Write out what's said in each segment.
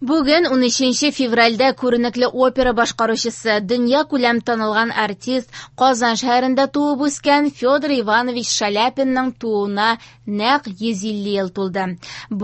Бүген, 13 февральдә, күренекле опера башкаручысы, дөньякүләм танылган артист, Казан шәһәрендә туып үскән Федор Иванович Шаляпинның тууына нәкъ 150 ел тулды.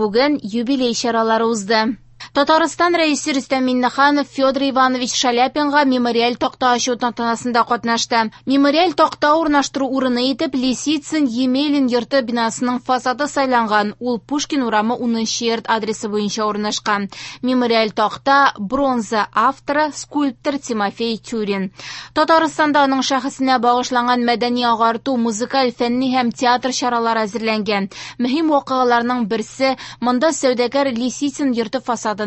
Бүген юбилей чаралары узды. Татарстан Рәисе Рөстәм Миңнеханов Федор Иванович Шаляпинга мемориаль такта ачу тантанасында катнашты. Мемориаль такта урнаштыру урыны итеп Лисицын Емелин йорты бинасының фасады сайланган. Ул Пушкин урамы 10 нчы йорт адресы буенча урнашкан. Мемориаль такта бронза, авторы скульптор Тимофей Тюрин. Татарстанда аның шәхесенә багышланган мәдәни-агарту, музыкаль, фәнни һәм театр чаралары әзерләнгән. Мөһим вакыйгаларның берсе, монда сәүдәгәр Лисицын йорты фасадында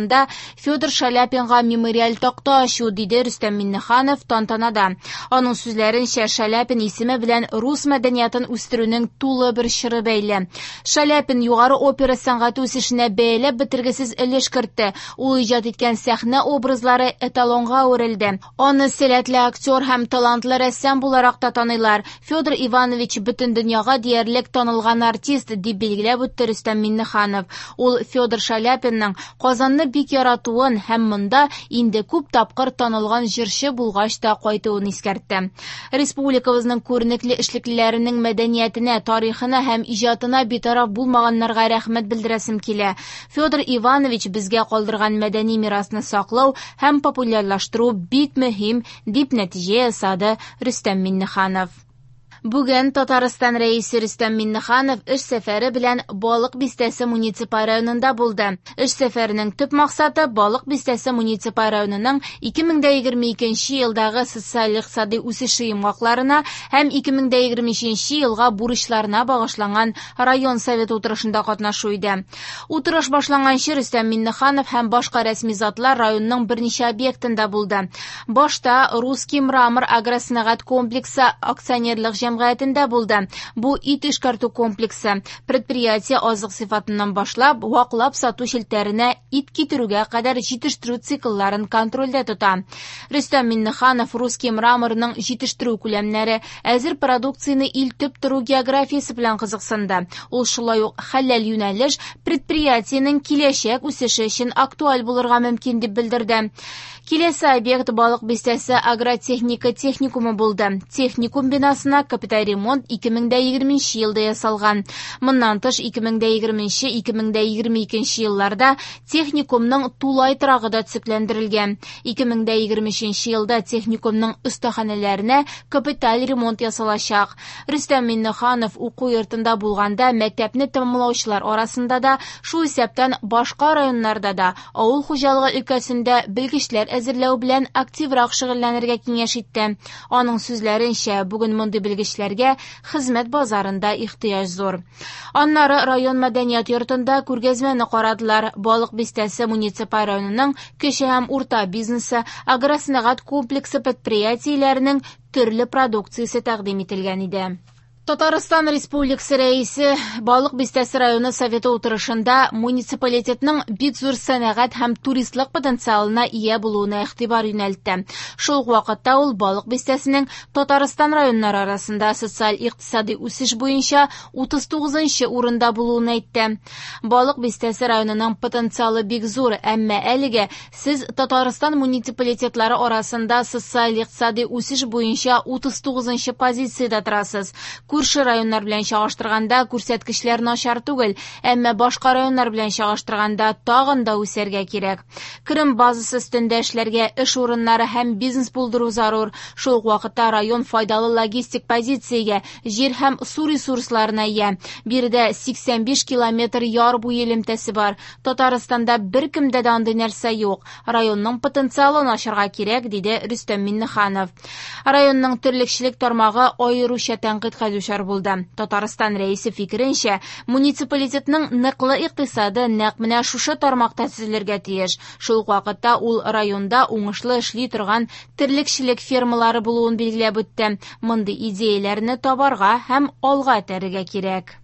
Федор Шаляпинга мемориаль такта ачу, диде Рөстәм Миңнеханов тантанада. Аның сүзләренчә, Шаляпин исеме белән рус мәдәниятын үстерүнең тулы бер чоры бәйле. Шаляпин югары опера сәнгате үсешенә бәяләп бетергесез өлеш кертте. Ул иҗат иткән сәхнә образлары эталонга әверелде. Аны сәләтле актер һәм талантлы рәссам буларак та таныйлар. Федор Иванович бөтен дөньяга диярлек танылган артист, дип билгеләп үтте Рөстәм Миңнеханов. Ул Федор Шаляпинның Казанны бик яратуын һәм монда инде күп тапкыр танылган җырчы булгач та кайтуын искәртте. Республикабызның күренекле эшлеклеләренең мәдәниятенә, тарихына һәм иҗатына битараф булмаганнарга рәхмәт белдерәсем килә. Федор Иванович безгә калдырган мәдәни мирасны саклау һәм популярлаштыру бик мөһим, дип нәтиҗә ясады Рөстәм Миңнеханов. Бүген Татарстан Рәисе Рөстәм Миңнеханов эш сәфәре белән Балык Бистәсе муниципаль районында булды. Эш сәфәренең төп максаты Балык Бистәсе муниципаль районының 2022 елдагы социаль-икътисади үсеше йомгакларына һәм 2023 елга бурычларына багышланган район советы утырышында катнашу иде. Утырыш башланганчы Рөстәм Миңнеханов һәм башка рәсми затлар районның берничә объектында булды. Башта Русский мрамор агросәнәгать комплексы акционерлык җәмгыятендә булды. Бу ит эшкәртү комплексы. Предприятие азык сыйфатыннан башлап, ваклап сату челтәренә ит китерүгә кадәр җитештерү циклларын контрольдә тота. Рөстәм Миңнеханов Русский мраморның җитештерү күләмнәре, әзер продукцияне илтеп тору географиясе белән кызыксынды. Ул шулай ук хәләл юнәлеш предприятиенең киләчәк үсеше өчен актуаль булырга мөмкин дип белдерде. Киләсе объект Балык Бистәсе агротехника техникумы булды. Техникум бинасына капиталь ремонт 2020 елда ясалган. Моннан тыш 2020-2022 елларда техникумның тулай торагы да төзекләндерелгән. 2023 елда техникумның остаханәләренә капиталь ремонт ясалачак. Рөстәм Миңнеханов уку йортында булганда мәктәпне тәмамлаучылар арасында да, шул исәптән башка районнарда да авыл хуҗалыгы өлкәсендә белгечләр әзерләү белән активрак шөгыльләнергә киңәш итте. Аның сүзләренчә, бүген мондый белгечләргә хезмәт базарында ихтыяҗ зур. Аннары район мәдәният йортында күргәзмәне карадылар. Балык Бистәсе муниципаль районының кече һәм урта бизнесы, агросәнәгать комплексы предприятиеләренең төрле продукциясе тәкъдим ителгән иде. Татарстан Республикасы Рәисе Балык Бистәсе районы Советы утырышында муниципалитетның бик зур сәнәгать һәм туристлык потенциалына ия булуына игътибар юнәлтте. Шул ук вакытта ул Балык Бистәсенең Татарстан районнары арасында социаль-икътисади үсеш буенча 39 нчы урында булуын әйтте. Балык Бистәсе районының потенциалы бик зур, әмма әлегә Сез Татарстан муниципалитетлары арасында социаль-икътисади үсеш буенча 39 нчы позициядә торасыз. Күрше районнар белән чагыштырганда күрсәткечләр начар түгел, әмма башка районнар белән чагыштырганда тагын да үсәргә кирәк. Керем базасы өстендә эшләргә, эш урыннары һәм бизнес булдыру зарур. Шул ук вакытта район файдалы логистик позициягә, җир һәм су ресурсларына ия. Биредә 85 километр яр буе элемтәсе бар. Татарстанда беркемдә дә андый нәрсә юк. Районның потенциалын ачарга кирәк, диде Рөстәм Миңнеханов. Районның терлекчелек тармагы аеруча тәнкыйтькә дучар булды. Татарстан Рәисе фикеренчә, муниципалитетның ныклы икътисады нәкъ менә шушы тармакта төзелергә тиеш. Шул ук вакытта ул районда уңышлы эшли торган терлекчелек фермалары булуын билгеләп үтте. Мондый идеяләрне табарга һәм алга этәрергә кирәк.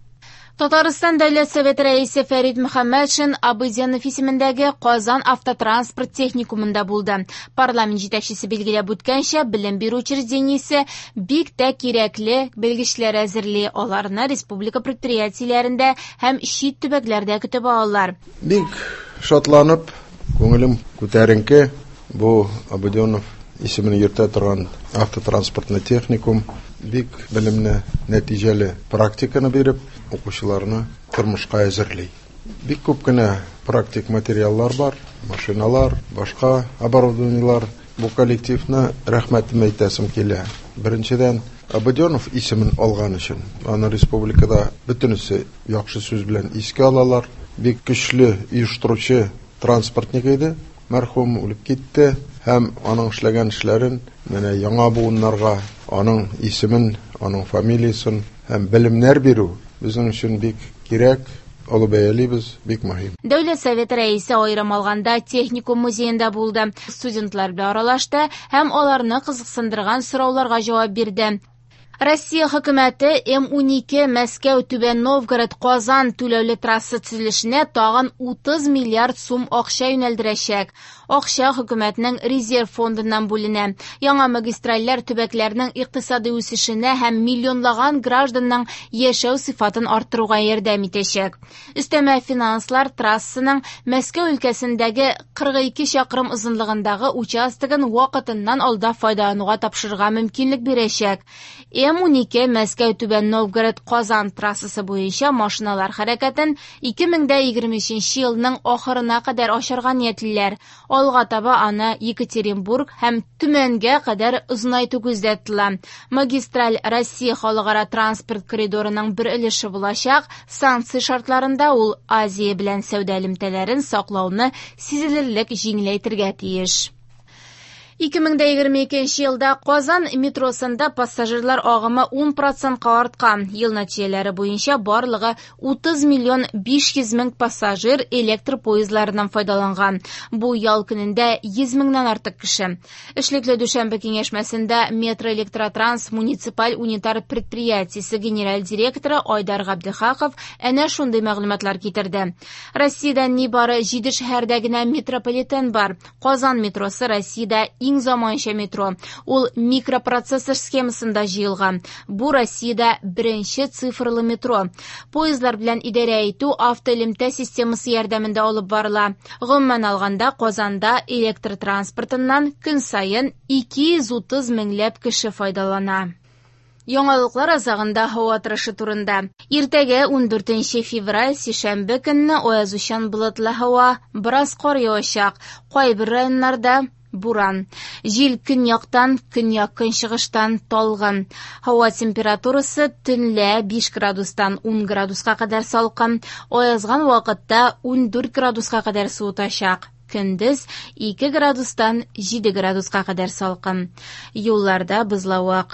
Татарстан Дәүләт Советы Рәисе Фәрит Мөхәммәтшин Абыйзянов исемендәге Казан автотранспорт техникумында булды. Парламент җитәкчесе билгеләп үткәнчә, белем бирү учреждениесе бик тә кирәкле белгечләр әзерли, аларны республика предприятиеләрендә һәм чит төбәкләрдә көтеп алалар. Бик шатланып Күңелем күтәренке. Бу Абуденов исемен йөртә торган автотранспортный техникум бик белемле, нәтиҗәле практиканы биреп, укучыларны тормышка әзерли. Бик күп кенә практик материаллар бар, машиналар, башка оборудованиелар. Бу коллективны рәхмәтем әйтәсем килә. Беренчедән, Абуденов исемен алган өчен. Аны республикада бөтенесе яхшы сүз белән искә алалар. Бик көчле оештыручы транспортник иде. Мәрхүм үлеп китте һәм аның эшләгән эшләрен менә яңа буыннарга аның исемен, аның фамилиясын һәм белемнәр бирү безнең өчен бик кирәк, олы бәялибез, бик мөһим. Дәүләт Советы рәисе аерым алганда техникум музеенда булды. Студентлар белән аралашты һәм аларны кызыксындырган сорауларга җавап бирде. Россия хөкүмәте М12 Мәскәү Түбән Новгород Казан түләүле трасса төзелешенә тагын 30 миллиард сум акча юнәлдерәчәк. Акча хөкүмәтнең резерв фондыннан бүленә. Яңа магистральләр төбәкләрнең икътисади үсешенә һәм миллионлаган гражданның яшәү сыйфатын арттыруга ярдәм итәчәк. Өстәмә финанслар трассаның Мәскәү өлкәсендәге 42 чакрым озынлыгындагы участогын вакытыннан алда файдалануга тапшырырга мөмкинлек бирәчәк. М12 Мәскәү Түбән Новгород Казан трассасы буенча машиналар хәрәкәтен 2023 елның ахырына кадәр ачарга ниятлиләр. Алга таба аны Екатеринбург һәм Төмәнгә кадәр озынайту күздә тотыла. Магистраль Россия халыкара транспорт коридорының бер өлеше булачак. Санкция шартларында ул Азия белән сәүдә элемтәләрен саклауны сизелерлек җиңеләйтергә тиеш. 2022 елда Казан метросында пассажирлар агымы 10%-ка арткан. Ел нәтиҗәләре буенча барлыгы 30 миллион 500 мең пассажир электр поездларыннан файдаланган. Бу ял көнендә 100 меңнән артык кеше. Эшлекле дүшәмбе киңәшмәсендә Метроэлектротранс муниципаль унитар предприятиесе генераль директоры Айдар Габдехаков әнә шундый мәгълүматлар китерде. Россиядә нибары 7 шәһәрдә генә метрополитен бар. Казан метросы Россиядә иң заманча метро. Ул микропроцессор схемасында җыелган. Бу Россиядә беренче цифрлы метро. Поездлар белән идарә итү автоэлемтә системасы ярдәмендә алып барыла. Гомумән алганда, Казанда электр транспортыннан көн саен 230 меңләп кеше файдалана. Яңалыклар азагында һава торышы турында. Иртәгә 14 февраль сишәмбе көнне аязучан болытлы һава, бераз кар явачак. Кайбер районнарда буран. Җил көньяктан, көньяк-көнчыгыштан талгын. Һава температурасы төнлә 5 градустан 10 градуска кадәр салкын, аязган вакытта 14 градуска кадәр суытачак. Көндез 2 градустан 7 градуска кадәр салкын. Юлларда бозлавык.